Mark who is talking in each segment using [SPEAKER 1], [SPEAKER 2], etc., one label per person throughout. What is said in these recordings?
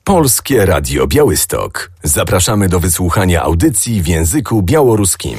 [SPEAKER 1] Polskie Radio Białystok. Zapraszamy do wysłuchania audycji w języku białoruskim.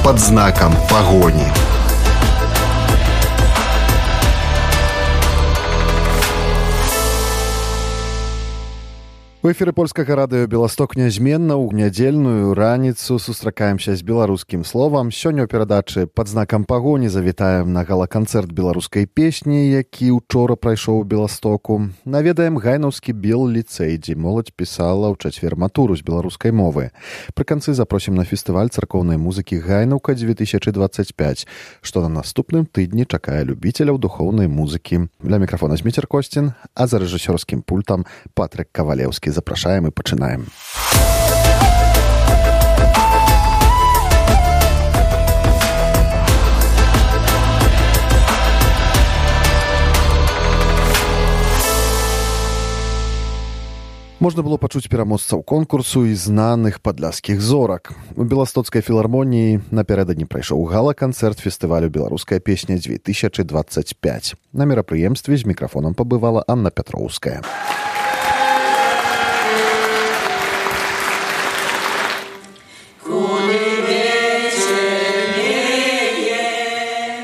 [SPEAKER 2] Под знаком погони.
[SPEAKER 3] У эфіры польскага радыё «Беласток» нязменна ў нядзельную раніцу сустракаемся з беларускім словам. Сёння ў перадачы «Пад знакам пагоні» завітаем на гала-канцэрт беларускай песні, які ўчора прайшоў у Беластоку. Наведаем гайнаўскі бел-ліцэй, дзе моладзь пісала ў чацвер матуру з беларускай мовы. Пры канцы запросім на фестываль царкоўнай музыкі «Гайнаўка-2025», што на наступным тыдні чакае любіцеляў духоўнай музыкі. Для мікрафона Зміцер Косцін, а за рэжысёрскім пультам Патрык Кавалеўскі. Запрашаем и пачынаем. Можна было пачуць пераможцаў конкурсу і знаных падляшскіх зорак. У Беластоцкай філармоніі напярэдадні прайшоў гала-канцэрт фестывалю «Беларуская песня-2025». На мерапрыемстве з мікрафонам пабывала Анна Пятроўская.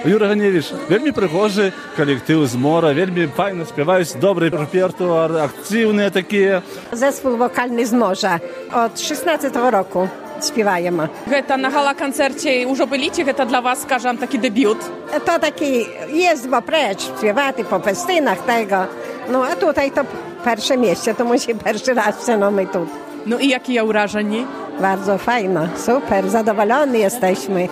[SPEAKER 4] Юра Ганевич, вельмі прыгожы калектыў з мора, вельмі файна спяваюць, добры рэпертуар, актыўныя такія.
[SPEAKER 5] Zespół wokalny z morza. Od 16 roku śpiewajemy.
[SPEAKER 6] Гэта на гала-канцэрце ўжо былі, ці гэта для вас, скажам, такі дэбют?
[SPEAKER 5] To taki jeźdźba precz, śpiewaty po festynach tego. No a tutaj to pierwsze miejsce, to musi pierwszy raz, no my tu.
[SPEAKER 6] No i jakie wrażenie?
[SPEAKER 5] Bardzo fajno, super, zadowoleni jesteśmy.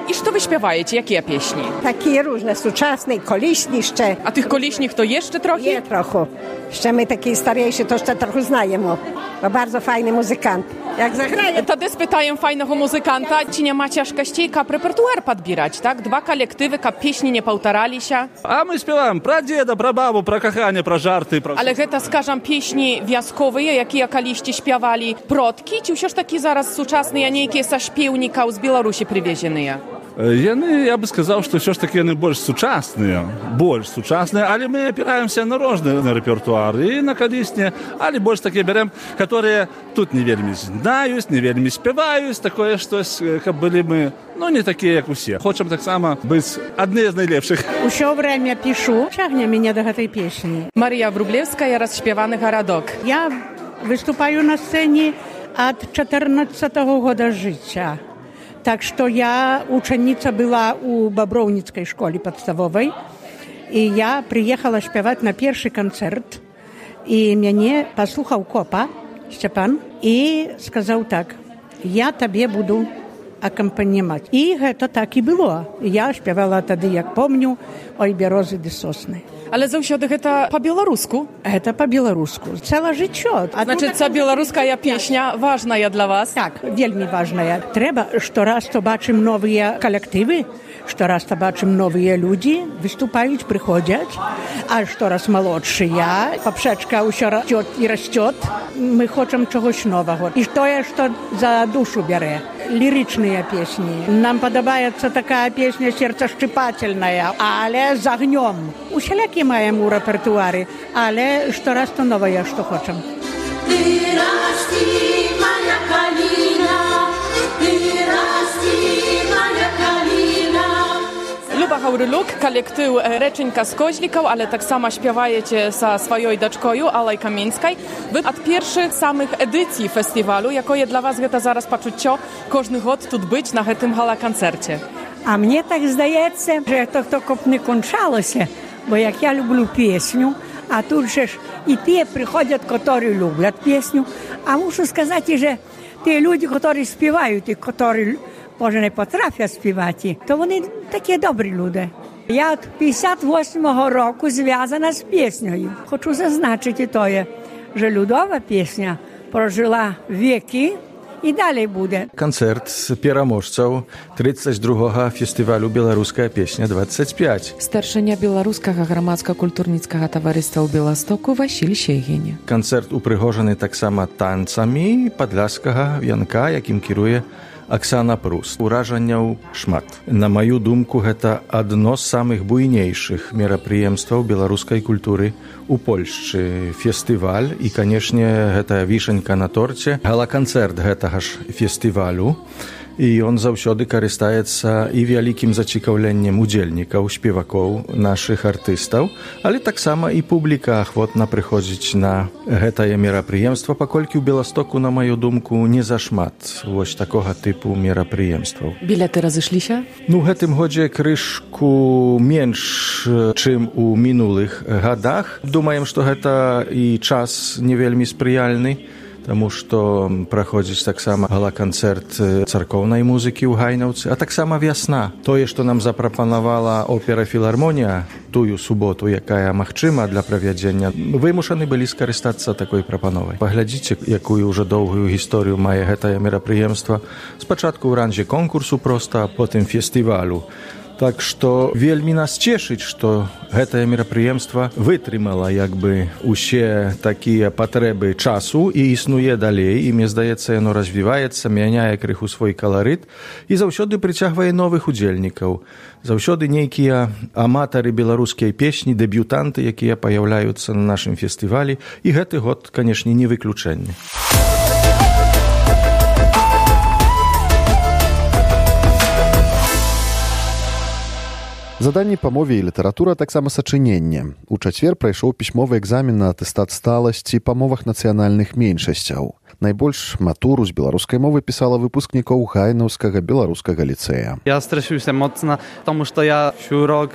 [SPEAKER 6] I co wy śpiewacie? Jakie pieśni?
[SPEAKER 5] Takie różne, współczesne, koliśni jeszcze.
[SPEAKER 6] A tych koliśnych to jeszcze trochę?
[SPEAKER 5] Nie, trochę. Jeszcze my takie starejsze to jeszcze trochę znajemy. Bo bardzo fajny muzykant. Jak zagraje...
[SPEAKER 6] Wtedy spytaję fajnego muzykanta, czy nie ma ciężkości, jak repertuar podbierać, tak? Dwa kolektywy, jak pieśni nie powtarzali się.
[SPEAKER 4] A my śpiewamy про деда, про бабу, про кохanie, про żarty.
[SPEAKER 6] Ale гэта, скажем, pieśni wioskowe, jakie kaliście śpiewali продки, czy już takie zaraz współczesne, a nie jakieś ze śpiewnika z Białorusi przywiezione?
[SPEAKER 4] Яны, я бы сказал, что все ж таки яны больш сучасныя, але мы опираемся на розны рэпертуар і на калісне, але больш такія бярем, которые тут не вельмі знаюць, не вельмі спяваюць, такое штось, каб былі мы, ну, не такія, як усе. Хочам таксама быць адны з найлепшых.
[SPEAKER 7] Усё время пишу, цягне мяне до гэтай песні.
[SPEAKER 6] Марія Врублевская, «Расшпеваны гарадок».
[SPEAKER 7] Я выступаю на сцэне ад 14-го года жыцця. Так что я ученица была у Бобровницкой школе подставовой, и я приехала śpiewać на первый концерт, и мяне послухаў Копа, Степан, и сказал так: я тебе буду аккомпанимать. И это так и было. Я śpiewала тады, як помню, «Ой, берозы ды сосны».
[SPEAKER 6] Ale zаўсёды гэта па-беларуску?
[SPEAKER 7] Это по-беларуску. Цэле жыццё.
[SPEAKER 6] Значит, ця беларуская песня важная для вас?
[SPEAKER 7] Так, вельмі важная. Трэба штораз то бачым новыя калектывы, штораз то бачым новыя людзі, выступаюць, прыходзяць, а штораз малодшыя. Папшачка ўсё расцёт і расцёт. Мы хочам чагось новага. І тое, што за душу бярэ. Лірычныя песні. Нам падабаецца такая песня сердцешчыпательная, але з агнём. Усялякі маем у рэпертуары, але штораз то новае, што хочам.
[SPEAKER 8] Ты расці, моя каліна, ты расці, моя каліна.
[SPEAKER 6] Люба Гаўрылюк, калектыў «Рэчынька з Козлікаў», але таксама śpiewajeце са сваёй дачкою Алай Каменскай. Вы ад першых самых эдыцый фестывалю, якое для вас гэта зараз пачуццё кожны год тут быць на гэтым гала-канцэрце?
[SPEAKER 9] А мне так здаецца, że to каб не кончалося, бо як я люблю песню, а тут же ж і ті приходять, які люблять пісню, а мушу сказати, що ті люди, які співають, і які, може, не потрафлять співати, то вони такі добрі люди. Я від 58-го року зв'язана з піснею. Хочу зазначити тоє, що людова пісня прожила віки, і далі буде.
[SPEAKER 10] Канцэрт пераможцаў 32-га фестывалю «Беларуская песня-25».
[SPEAKER 11] Старшыня беларускага грамадска-культурніцкага таварыства ў Беластоку Васіль Щегіне.
[SPEAKER 10] Канцэрт упрыгожаны таксама танцамі падляшскага вянка, якім кіруе Аксана Пруст. Уражанняў шмат. На маю думку, гэта адно з самых буйнейшых мерапрыемстваў беларускай культуры у Польшчы. Фестываль і, канешне, гэта вішенька на торце. Гала-канцэрт гэтага ж фестывалю. І ён заўсёды карыстаецца і вялікім зацікаўленнем удзельнікаў, спевакоў, нашых артыстаў, але таксама і публіка ахвотна прыходзіць на гэтае мерапрыемства, паколькі ў Беластоку, на маю думку, не зашмат вось такога тыпу мерапрыемстваў.
[SPEAKER 11] Білеты разышліся?
[SPEAKER 10] Ну, гэтым годзе крышку менш, чым у мінулых гадах. Думаем, што гэта і час не вельмі спрыяльны, таму што праходзіць таксама гала-канцэрт царкоўнай музыкі ў Гайнаўцы, а таксама вясна. Тое, што нам запрапанавала опера «Філармонія» тую суботу, якая магчыма для правядзення, вымушаны былі скарыстацца такой прапановай. Паглядзіце, якую ўжо доўгую гісторыю мае гэтае мерапрыемства. Спачатку ў ранзе конкурсу проста, а потым фестывалю. Так што вельмі нас цешыць, што гэтае мерапрыемства вытрымала як бы усе такія патрэбы часу і існуе далей, і мне здаецца, яно развіваецца, мяняе крыху свой каларыт і заўсёды прыцягвае новых удзельнікаў. Заўсёды нейкія аматары беларускай песні, дэбютанты, якія паяўляюцца на нашым фестывалі, і гэты год, канешне, не выключэнне.
[SPEAKER 3] Заданні па мове і літаратура, таксама сачыненне. У чацвер прайшоў пісьмовы экзамен на атэстат сталасці па мовах нацыянальных меншасцяў. Найбольш матуру з беларускай мовы пісала выпускнікоў Гайнаўскага беларускага ліцэя.
[SPEAKER 12] Ja stresuję się mocno, потому что я всю rok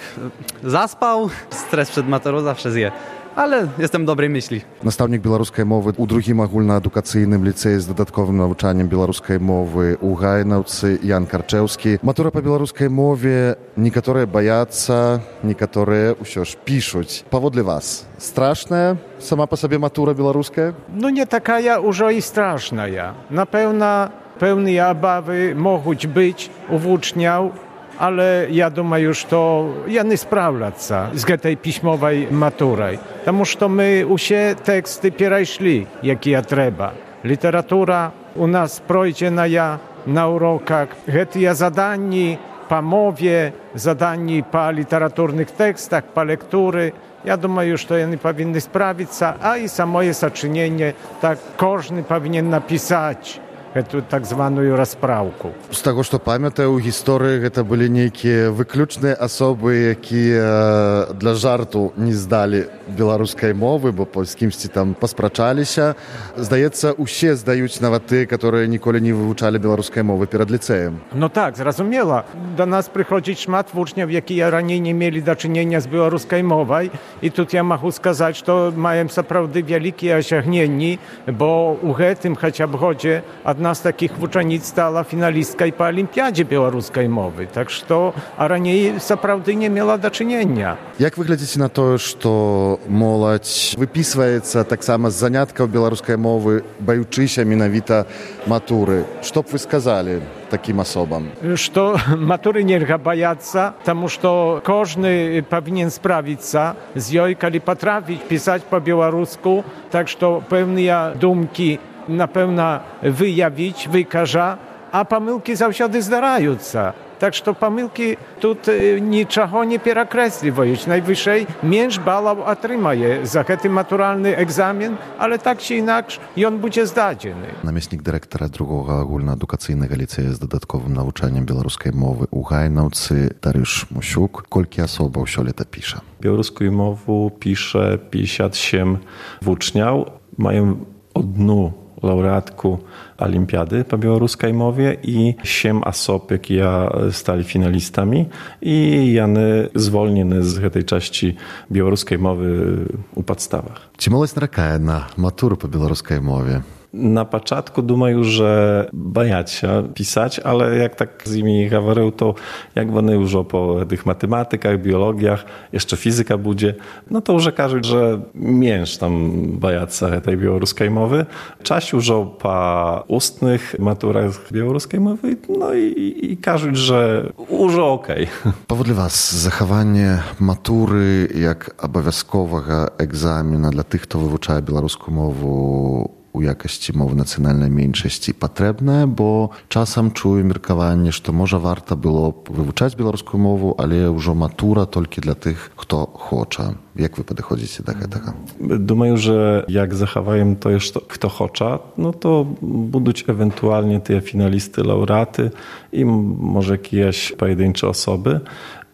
[SPEAKER 12] zaspał, stres przed maturą zawsze zje. Ale jestem dobrej myśli.
[SPEAKER 3] Настаўнік беларускай мовы ў другім агульнаадукацыйным ліцэі з дадатковым навучаннем беларускай мовы ў Гайнаўцы Ян Карчэўскі. Матура па беларускай мове некаторыя баяцца, некаторыя ўсё ж пішуць. Паводле вас, страшная сама па сабе матура беларуская?
[SPEAKER 13] Ну не такая ўжо і страшная. Напэўна, пэўныя абавы могуць быць у вучняў, ale ja думаю, что яны справляцца з гэтай пісьмовай матурай. Таму што мы усе тэксты перайшлі, якія трэба. Літаратура у нас пройдзеная на уроках. Гэтыя заданні па мове, заданні па літаратурных тэкстах, па лектуры. Ja думаю, што яны павінны справіцца, а і самое сачыненне, так кожны павінен напісаць гэту так званую распраўку.
[SPEAKER 3] З таго, што памятаю, у гісторыі гэта былі нейкія выключныя асобы, якія для жарту не здалі беларускай мовы, бо з кімсьці там паспрачаліся. Здаецца, усе здаюць нават тыя, которые ніколі не вывучалі беларускай мовы перад ліцэем.
[SPEAKER 13] Ну так, зразумела. Да нас прыходзіць шмат вучняў, якія раней не мелі дачынення з беларускай мовай. І тут я магу сказаць, што маем сапраўды вялікія асягненні, бо ў гэтым хаця б годзе одна з такіх вучаніц стала фіналісткай па алімпіядзе беларускай мовы. Так што, а раней сапраўды не мела дачынення.
[SPEAKER 3] Як вы глядзіце на тое, што моладзь выпісваецца таксама з заняткаў беларускай мовы, баючыся менавіта матуры? Што б вы сказалі такім асобам?
[SPEAKER 13] Што матуры нельга баяцца, таму што кожны павінен справіцца з ёй, калі патрапіць пісаць па-беларуску, так што пэўныя думкі напэўна выявіць, выкажа, а памылкі заўсёды здараюцца. Так што памылкі тут нічаго не перакрэсліваюць. Найвышэй менш балаў атрымае за гэты матуральны экзамен, але так ці інакш ён будзе здадзены.
[SPEAKER 3] Намеснік дырэктара другога агульнаадукацыйнага ліцэя з дадатковым навучаннем беларускай мовы ў Гайнаўцы Дарыш Мусюк. Колькі асобаў сёлета піша?
[SPEAKER 14] Беларускую мову піша 57 вучняў. Маем одну laureatku Olimpiady po białoruskiej mowie i 7 osób, jakie stali finalistami i jany zwolnione z tej części białoruskiej mowy u podstawach.
[SPEAKER 3] Czy młodzież narakaje na maturę po białoruskiej mowie?
[SPEAKER 14] Na początku думаю, że bajać się pisać, ale jak tak z nimi mówił, to jak one już po tych matematykach, biologiach, jeszcze fizyka będzie, no to już każą, że mięż tam bajać się tej białoruskiej mowy. Czas już po ustnych maturach białoruskiej mowy, no i każą, że już okej.
[SPEAKER 3] Powodle was zachowanie matury jak obowiązkowego egzamina dla tych, kto wywuczają białoruską mowę у якасці мовы нацыянальнай меншасці патрэбная, бо часам чую меркаванне, што можа варта было вывучаць беларускую мову, але ўжо матура толькі для тых, хто хоча. Як вы падыходзіце да гэтага?
[SPEAKER 14] Думаю, że jak zachowają to jeszcze kto chce, no to będą ewentualnie te finalisty, laureaty i może jakieś pojedyncze osoby,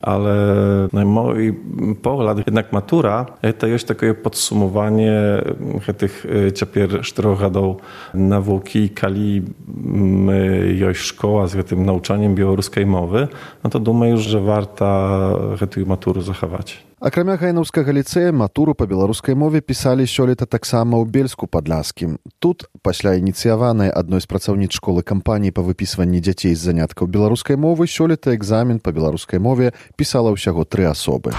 [SPEAKER 14] ale na mój pogląd jednak matura to jest takie podsumowanie tych ciepłych 4 lat nauki, kali jest szkoła z tym nauczaniem białoruskiej mowy, no to думаю, że warto tę maturę zachować.
[SPEAKER 3] Акрамя гайнаўскага ліцэя, матуру па беларускай мове пісалі сёлета таксама ў Бельску-Падляскім. Тут, пасля ініцыяванай адной з працаўніц школы кампаніі па выпісванні дзяцей з заняткаў беларускай мовы, сёлета экзамен па беларускай мове пісала ўсяго 3 асобы.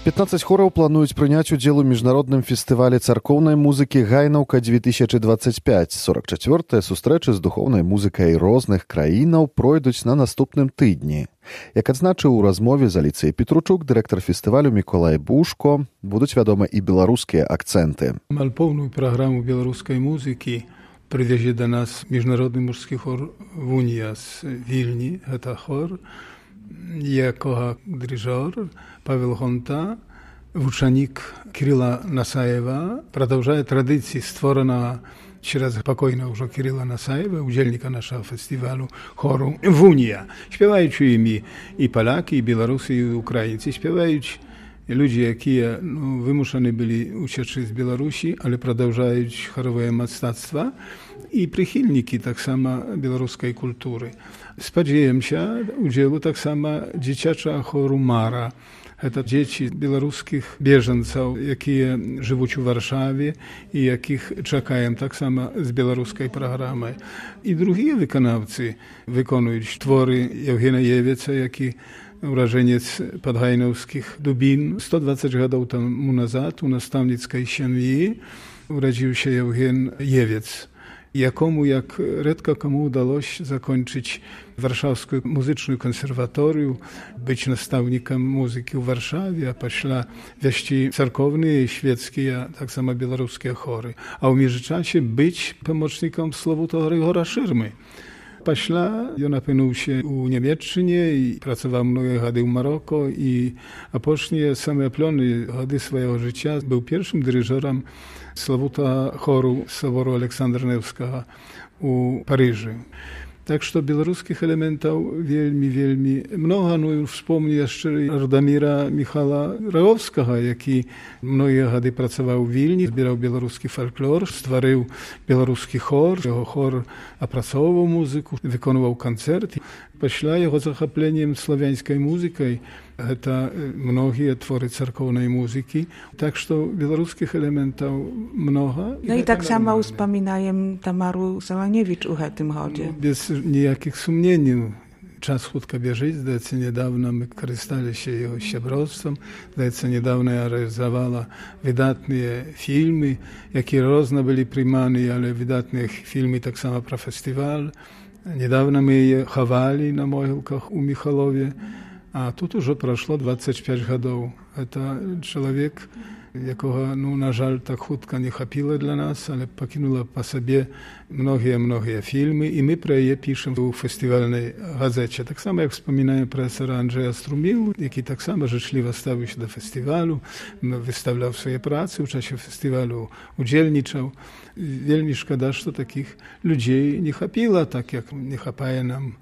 [SPEAKER 3] «15 хораў плануюць прыняць удзел у міжнародным фестывале царкоўнай музыкі «Гайнаўка-2025». 44-я сустрэчы з духоўнай музыкай розных краінаў пройдуць на наступным тыдні. Як адзначыў у размове з Аліцыяй Петручук, дырэктар фестывалю Міколай Бушко, будуць вядома і беларускія акцэнты.
[SPEAKER 15] Амаль поўную праграму беларускай музыкі прывязе да нас міжнародны мужскі хор «Вунія» з Вільні. Гэта хор, якога дырыжор Павел Гонта, вучаник Кирилла Насаева, продолжает традиции, створенного через покойного уже Кирилла Насаева, удзельника нашего фестивалю хору «Вунія». Śpiewaючи imi i Polaki, i Białorusy, i Ukraińcy, śpiewaючи ludzie, jakie wymuszeni byli uciec z Białorusi, ale продолжаją chorowe mastactwa i przychylniki tak samo białoruskiej kultury. Spodziewam się udziału tak samo dzieciacza choru Mara. To dzieci białoruskich bieżeńców, jakie żyją w Warszawie i jakich czekają tak samo z białoruskiej programy. I drugi wykonawcy wykonują twory Eugena Jewieca, jaki urażeniec podhajnowskich Dubin. 120 lat temu nazad u nastavnickiej семьи urodził się Eugen Jewiec, jakomu jak редко komu udało się zakończyć Warszawską Muzyczną Konserwatorium, być nastawnikiem muzyki w Warszawie, a pośla wieści cerkowne i świeckie, a tak samo białoruskie chory. A w międzyczasie być pomocnikiem Sławuta Grigora Szyrmy. Pośla on opinął się u Niemiecczynie i pracował mnogie lata w Maroko a później same plony lata swojego życia był pierwszym dyryżerem Sławuta choru Soboru Aleksandra Newskiego u Paryżu. Tak, że białoruskich elementów wielmi mnogo. No już wspomnę jeszcze Radomira Michała Ragowskiego, jaki mnogie lata pracował w Wilnie, zbierał białoruski folklor, stworzył białoruski chor. Jego chor opracował muzykę, wykonywał koncerty. Pośla jego zachopleniem słowiańskiej muzyką, to mnogie twory cerkownej muzyki. Tak, że białoruskich elementów mnogo.
[SPEAKER 16] No i tak samo wspominajem Tamaru Sałaniewicz u tym chodzie.
[SPEAKER 15] Bez nijakich sumieni. Czas chłodko bieży. Zdaje niedawno my korzystali się jego ściebrostwem. Zdaje niedawno ja realizowała wydatne filmy, jakie różne byli przyjmane, ale wydatne filmy tak samo pro festiwal. Niedawno my je chowali na mogilkach u Michalowie, a tu już przeszło 25 lat. To człowiek, jakiego, na żal, tak chłodko nie chapiło dla nas, ale pokinuła po sobie mnogie filmy i my pro je piszemy w festiwalnej gazecie. Tak samo jak wspominają profesora Andrzeja Strumilu, jaki tak samo życzliwie stawił się do festiwalu, wystawiał swoje prace, w czasie festiwalu udzielniczał. Wielmi szkoda, że takich ludzi nie chapiło, tak jak nie chapaje nam,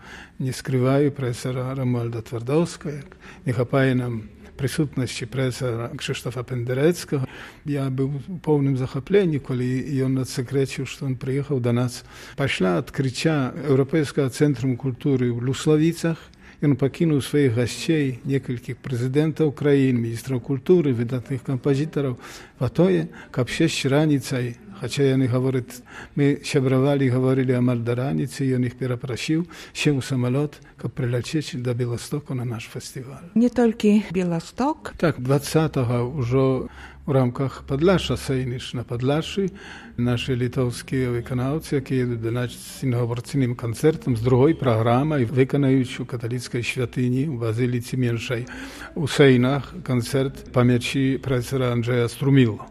[SPEAKER 15] nie skrywają profesora Romualda Twardowskiego, jak nie chapaje nam присутності profesora Krzysztofa Pendereckiego. Ja był w pełnym zachоплeniu, kiedy on odsekreczył, że on przyjechał do nas. Pośla odkrycia Europejskiego Centrum Kultury w Lusławicach, on pokinął swoich gości, niektórych prezydentów krain, ministrów kultury, wydatnych kompozytorów, po to, aby 6 ranicaj Хаця яны гавораць, мы сябравалі, гаварылі амаль да раніцы, ён іх перапрасіў, сеў у самалёт, каб прыляцець да Беластоку на наш фестываль.
[SPEAKER 16] Не толькі Беласток.
[SPEAKER 15] Так, 20-го ўжо у рамках Падляша Сейніш на Падляшы наші літоўскія выканаўцы, якія едуць да нас з інаўгурацыйным канцэртам, з другой праграмай, выканаюць у каталіцкай святыні, у Базыліцы Меншай, у Сейнах канцэрт памяці прафесара Анджэя Струміло.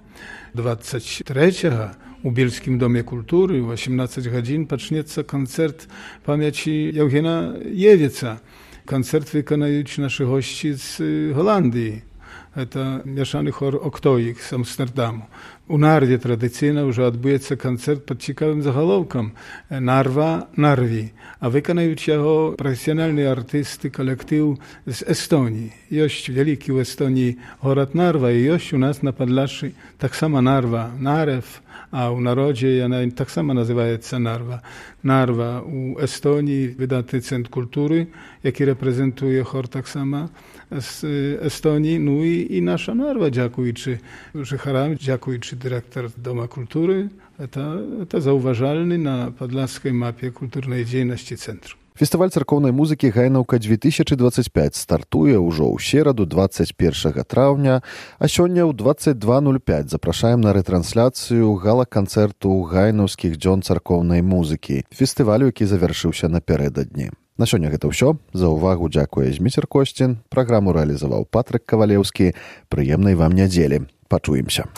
[SPEAKER 15] 23-го у Бельскім доме культуры ў 18 гадзін пачнецца канцэрт памяці Яўгена Евіца. Канцэрт выканаюць нашы госці з Голландыі. Это мяшаны хор «Октоік» з Амстердаму. У Нарве традыцыйна ўжо адбудзецца канцэрт пад цікавым загалоўкам «Нарва, Нарві», а выканаюць яго прафесіянальныя артысты, калектыў з Эстоніі. Ёсць вялікі ў Эстоніі горад Нарва, і ёсць у нас на Падляшшы таксама Нарва, Нарев, а ў народзе яна таксама называецца Нарва. Нарва ў Эстоніі выдатны цэнтр культуры, які рэпрэзентуе хор таксама з Эстоніі, ну і наша Нарва, дзякуючы жыхарам, дзякуючы дырэктар Дома культуры, это заўважальны на падляшскай мапе культурнай дзейнасці цэнтру.
[SPEAKER 3] Фестываль царкоўнай музыкі «Гайнаўка-2025» стартуе ўжо ў сераду 21 траўня, а сёння ў 22:05 запрашаем на рэтрансляцыю гала-канцэрту гайнаўскіх дзён царкоўнай музыкі, фестывалю, які завяршыўся напярэдадні. На сёння гэта ўсё. За ўвагу дзякуе Зміцер Косцін. Праграму рэалізаваў Патрык Кавалеўскі. Прыемнай вам нядзелі. Пачуемся.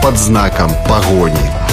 [SPEAKER 2] Под знаком погони.